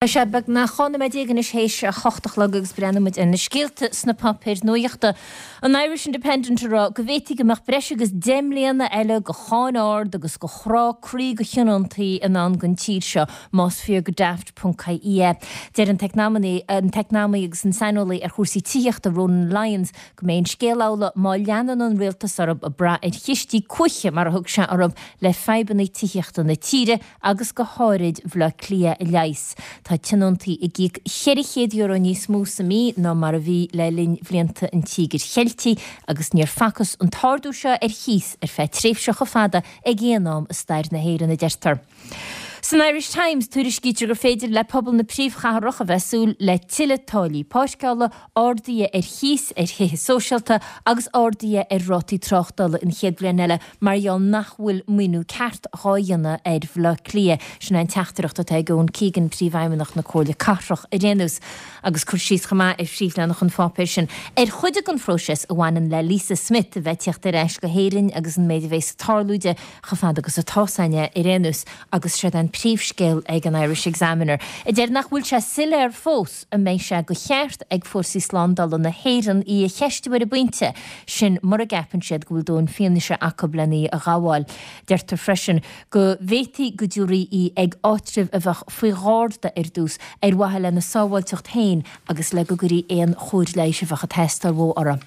Tá sé beagnach 12 nóiméad anois théis a hocht a chlog agus breathnóidh muid ar na scéalta sna páipéir nuachta. An Irish Independent ag rá go bhféadfaí go mbeadh breis agus 10 mbliana eile de cháin ard agus de chrá croí do thionóntaí i ndán don tír seo más fíor go Daft ponc ie. Deir an t-eacnamaí agus an saineolaí ar chúrsaí tithíochta Ronan Lyons go mbeidh an scéal amhlaidh má leanann an rialtas orthu ag brath ar chistí cuaiche mar a thug sé orthu le fadhbanna tithíochta na tíre agus go háirid Bhaile Átha Cliath a leigheas. Tá tionóntaí ag íoc €400 níos mó sa mí ná mar a bhí le linn bhlianta an Tíogair Cheiltigh agus níor facthas an t-ardú seo ar chíos ar feadh tréimhse chomh fada ag aon am i stair na hÉireann, a deirtear. San Irish Times, tuairiscítear gur féidir le pobal na príomhchathrach a bheith ag súil le tuilleadh táillí páirceála, arduithe ar chíos ar thithe sóisialta agus arduithe ar rátaí tráchtála an chéad bhliain eile mar gheall nach bhfuil maoiniú ceart dhá dhéanamh ar Bhaile Átha Cliath. Sin é an teachtaireacht atá ag Owen Keegan, Príomhfheidhmeannach na Comhairle Cathrach, ar aon nós. Agus cur síos chomh maith ar phríomhleathanach an pháipéir sin ar chuid den phróiseas a bhaineann le Lisa Smith a bheith ag tíocht ar ais go hÉirinn agus an méid a bheas ag tarlú di chomh fada agus atá's againne ar aon nós. Agus séard é an príomhscéal ag an Irish Examiner a deir nach bhfuil sé soiléir fós an mbeidh sé de cheart ag fórsaí slándála na hÉireann í a cheistiú ar an bpointe sin mura gceapann siad go bhfuil dóthain fianaise acu len í a ghabháil. Deirtear freisin go bhféadfaí go dtabharfaí í ag áitreabh a bheadh faoi gharda ar dtús ar mhaithe lena sábháilteacht féin agus le go gcuirfí aon chóir leighis a bheadh ag teastáil uaithi uirthi.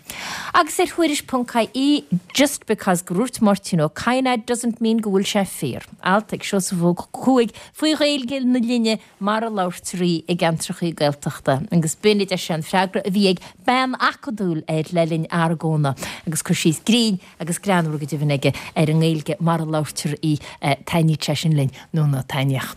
Agus ar Thuairisc ponc ie, just because gur dhúirt Máirtín Ó Cadhain é doesn't mean go bhfuil sé fíor. Alt ag Seosamh Ó Cuaig faoi Ghaeilge na linne mar a labhartar í i gceantrachaí Gaeltachta agus b'in, a deir sé, an freagra a bhí ag bean acadúil air le linn argóna agus cur síos grinn agus greannmhar go deimhin aige ar an nGaeilge mar a labhartar í. Taitníodh sé sin linn nó ná taitníodh.